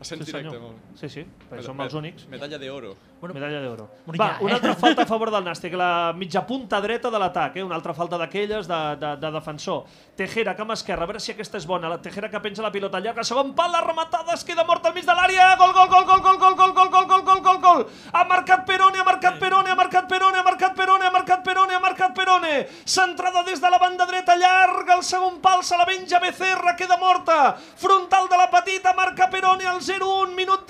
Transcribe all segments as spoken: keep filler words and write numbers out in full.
Sent directe, molt. Sí, sí, perquè som els únics. Medalla d'oro. Medalla d'oro. Va, una altra falta a favor del Nàstic, la mitja punta dreta de l'atac, una altra falta d'aquelles de defensor. Tejera, cama esquerra, a veure si aquesta és bona. La Tejera que penja la pilota llarga, segon pal, la rematada, es queda mort al mig de l'àrea. Gol, gol, gol, gol, gol, gol, gol, gol, gol, gol, gol, gol, gol. Ha marcat Perone, ha marcat Perone, ha marcat Perone, ha marcat Perone, ha marcat Perone, ha marcat Perone. Centrada des de la banda dreta, llarga, el segon pal, se la menja Becerra, queda morta. Frontal de la petita, marca Perone al zero un, minut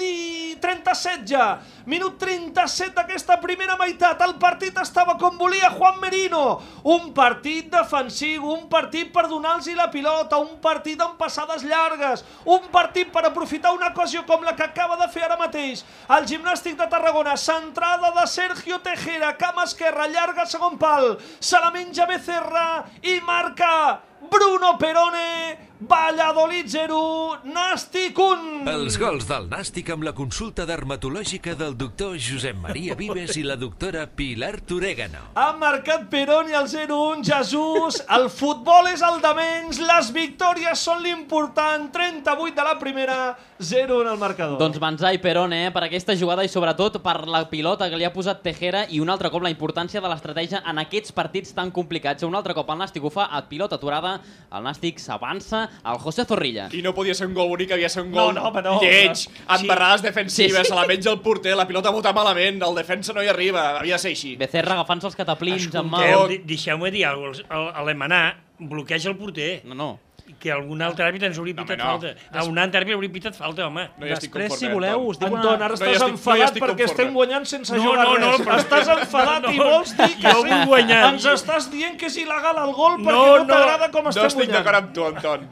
trenta-set ja. Minut trenta-set d'aquesta primera meitat. El partit estava com volia Juan Merino. Un partit defensiu, un partit per donar-los la pilota, un partit amb passades llargues, un partit per aprofitar una ocasió com la que acaba de fer ara mateix el Gimnàstic de Tarragona. Centrada de Sergio Tejera, cama esquerra, llarga, segon pal. Se la menja Becerra i marca Bruno Perone. Valladolid zero, Nàstic un. Els gols del Nàstic amb la consulta dermatològica del doctor Josep Maria Vives i la doctora Pilar Torégano. Ha marcat Perone al zero un, Jesús. El futbol és el de menys, les victòries són l'important. trenta-vuit de la primera, zero un al marcador. Doncs Banzai Perone, eh, per aquesta jugada i sobretot per la pilota que li ha posat Tejera i un altre cop la importància de l'estratègia en aquests partits tan complicats. Un altre cop el Nàstic ho fa a pilota aturada, el Nàstic s'avança, el José Zorrilla. I no podia ser un gol bonic, havia ser un gol no, no, no, lleig, amb barrades defensives, sí, sí. se la menja el porter, la pilota bota malament, el defensa no hi arriba, havia de ser així. Becerra agafant-se els cataplins amb mà. Escolteu, deixeu-me dir alguna cosa, l'Emanar bloqueja el porter. No, no. Que algun altre àrbit ens hauria pitat no, no. falta. A un altre àrbit hauria pitat falta, home. No hi estic Després, conforme, si voleu, us diuen... Anton, ara no estàs estic, enfadat no perquè estem guanyant sense no, jugar no, no, res. però... Estàs enfadat no, i vols dir que jo sí. Guanyant. Ens estàs dient que és il·legal el gol perquè No, no t'agrada com No estem estic guanyant. d'acord amb tu, Anton.